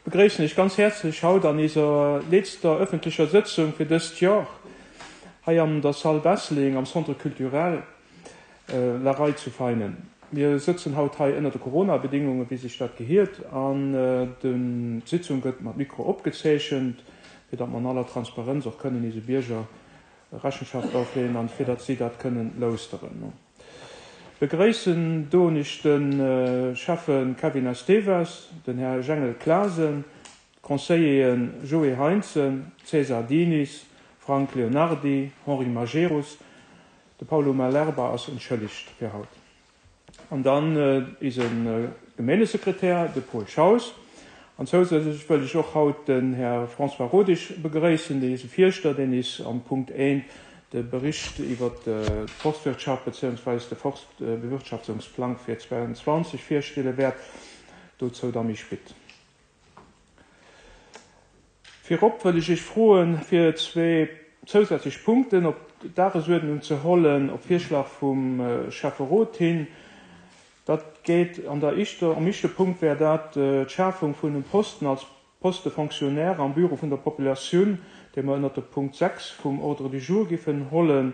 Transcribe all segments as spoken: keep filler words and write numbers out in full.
Begréissen Iech ganz häerzlech haut an iser letzter öffentlicher Sëtzung fir dëst Joer hei an der Salle Besseling am Centre culturel La Rei zu Veinen. Mir sëtzen haut hei ënner de Corona-Bedingungen, wéi sech dat gehiert, an d'Sitzung gëtt mat Mikro opgezeechent, fir datt mer an aller Transparenz och kënnen ise Bierger Rechenschaft ofleeën an fir datt si dat kënnen lauschteren. Begréissen doen ech de Schäffe Kevin Esteves, den Här Jengel Clasen, d'Conseilleren Joé Heintzen, César Diniz, Frank Leonardi, Henri Majerus, de Paulo Malerba ass entschëllegt fir haut. An dann ise Gemeengesekretär, de Paul Schaus. An zousätzlech wëll ech och haut den Här François Rodesch begréissen, dee ise Fierschter, deen is am Punkt eent de Bericht iwwer d'Forstwirtschaft beziehungsweise de Forstbewirtschaftungsplang fir zweiundzwanzeg virstelle wäert. Dozou da méi spit. Virop wëll ech Iech froen, fir zwee zousätzlech Punkten op d'Dagesuerdnung ze hollen, op Virschlag vum Schäfferot hin. Dat geet an der éischter, am éischte Punkt wär dat d'Schafung vun einem Posten als Poste fonctionnaire am Büro vun der Populatioun, dee mer ënner de Punkt sechs vum Ordre du jour giffen hollen.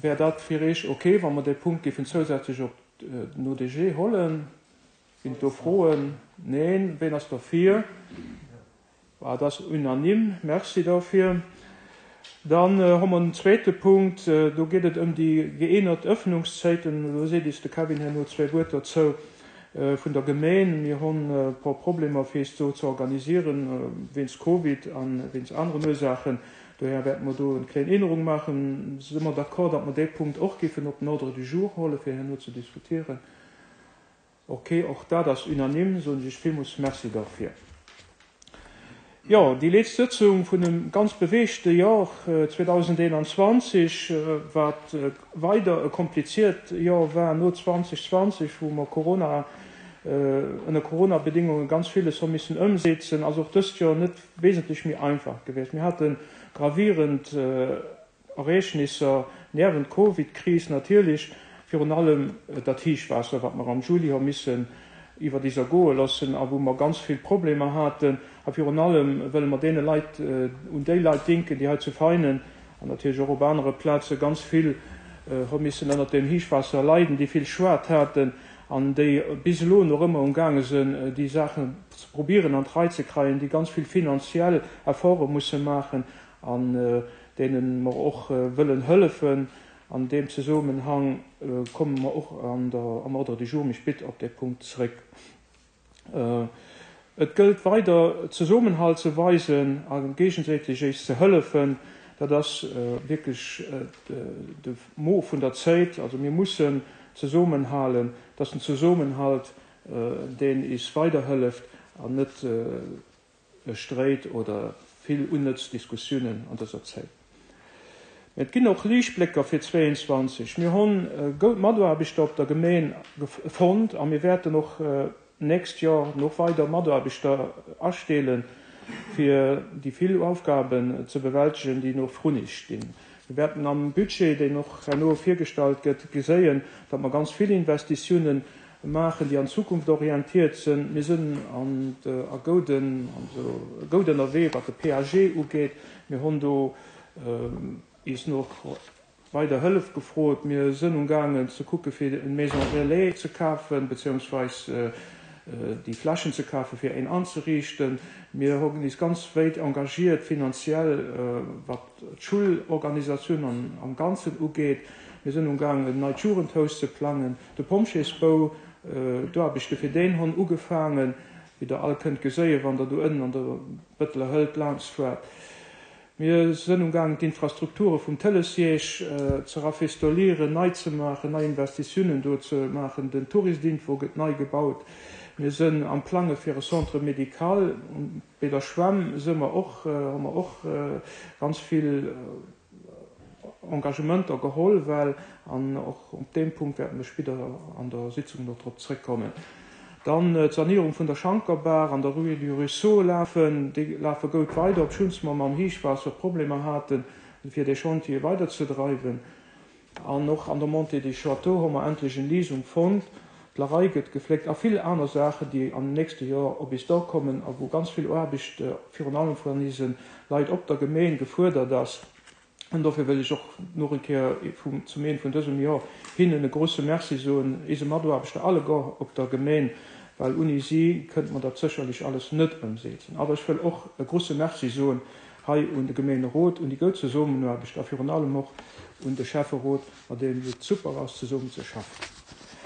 Wär dat fir Iech okay, wann mer de Punkt giffen zousätzlech op den O D G hollen? Ginn do Froen? Neen. Ween ass dafür? Ah, das ist unanime. Merci dafür. Dann äh, haben wir einen zweiten Punkt. Äh, do geht es um die geändert Öffnungszeiten. Do seht ihr, de Kevin hat nur zwei Wörter dazu, äh, von der Gemeinde. Wir haben ein paar Probleme, fir es so zu organisieren, äh, wenn's Covid an wenn's andere Ursachen. Daher werden wir da eine kleine Änderung machen. Sind wir d'accord, dass wir den Punkt auch geben, op den Ordre du jour holen, fir herno zu diskutieren? Okay, auch da, das ist unanime, so ich vielmals merci dafür. Ja, die letzte Sitzung von einem ganz bewegten Jahr, äh, zweitausendeinundzwanzig, äh, wat, äh, weiter ein kompliziert Jahr war, nur zweitausendzwanzig, wo wir Corona, äh, unter Corona-Bedingungen ganz vieles haben müssen umsetzen. Also auch das Jahr nicht wesentlich mehr einfach gewesen. Wir hatten gravierend, äh, Ereignisse während Covid-Krise natürlich, vor allem, äh, das Tiefwasser, was wir am Juli haben müssen über dieser goen lassen, a wo wir ganz viel Probleme hatten. A virun allem wëlle mer deene Leit, äh, un déi Leit denken, déi hei zu Veinen an natierlech och op anere Plaze ganz vill, äh, hu missen ënner dem Héichwaasser leiden, déi vill Schued haten an déi bis elo noch ëmmer umgaange sinn, äh, déi Saachen ze probieren an d'Rei ze kreien, déi ganz vill finanziell Efforte musse maachen an, äh, deenen mer och, äh, wëllen hëllefen. An dem Zusammenhang, äh, kommen wir och an der, am Ordre du jour méi spät op de Punkt zréck. Äh, et gëllt weider Zusammenhalt ze weisen a gegenseitig eis ze hëllefen, dat ass, äh, wirklich, äh, de, de Mo vun der Zäit. Also wir müssen zusammenhalen, dass den Zusammenhalt, äh, den is weiterhëlleft an net, äh, Streit oder vill unnütz Diskussionen an dieser Zäit. Et ginn och Liichtblécker fir zweiundzwanzeg. Mir hunn, äh, goud Mataarbechter op der Gemeen gef-, fonnt a mir wäerten och, äh, nächst Jahr noch weiter Mataarbechter astellen, fir déi vill Aufgaben ze bewältigen, déi noch vrun eis stinn. Wir werden am Budget, deen noch herno virgestallt gëtt, gesehen, datt mer ganz vill Investitiounen maachen, déi an Zukunft orientiert sinn. Mir sinn an de, a gouden, also goud ënnerwee, wat de P A G ugeet. Mir hunn do, ähm, is noch weider Hëllef gefrot. Mir sinn umgaangen ze kucke fir en Maison Relais ze kafen, beziehungsweise, äh, äh, déi Flächen ze kafen, fir een anzerichten. Mir hunn is ganz weit engagiert finanziell, äh, wat d'Schulorganisatioun am, am Ganzen ugeet. Mir sinn umgaangen, en neit Jugendhaus ze plangen. De Pompjeesbau, äh, do hab ich fir den hunn ugefangen, wie der all kënnt geséie, wann der do ënnen an der Bëtteler Hëlt laanscht fuert. Mir sinn umgaangen, d'Infrastrukture vum Telesiège, äh, ze rafistolieren, nei ze maachen, nei Investitiounen do ze maachen. Den Touristinfo gëtt nei gebaut. Mir sinn am Plange fir e Centre médical. Bei der Schwämm si mer och, äh, hu mer och, äh, ganz vill, äh, Engagementer geholl, well an och op dem Punkt werden wir später an der Sitzung noch drop zréckkommen. Dann, äh, d'Sanierung vun der Schankerbar an der Rue du Ruisseau lafen, déi lafe goud weider, obschonns mer mam Héichwaasser Problemer haten, fir de Chantier weiterzedreiwen. An och an der Montée des Châteaux hu mer endlech en Leasing fonnt. D'Larei gëtt gefléckt a vill aner Saachen, déi am nächste Joer op is duerkommen a wou ganz vill Aarbecht virun allem vun eise Leit op der Gemeen gefuerdert ass. An dofir wëll ech och nach eng Kéier vum, zum Enn vun dësem Joer hinnen e grousse Merci soen, eise Mataarbechter alleguer op der Gemeen, well ouni si kënnt mer dat sécherlech alles net ëmsetzen. Awer ech wëll och e grousse Merci soen hei un de Gemeenerot, un déi gutt Zesummenaarbecht a virun allem och un de Schäfferot, mat deem et super ass, zesummen ze schaffen.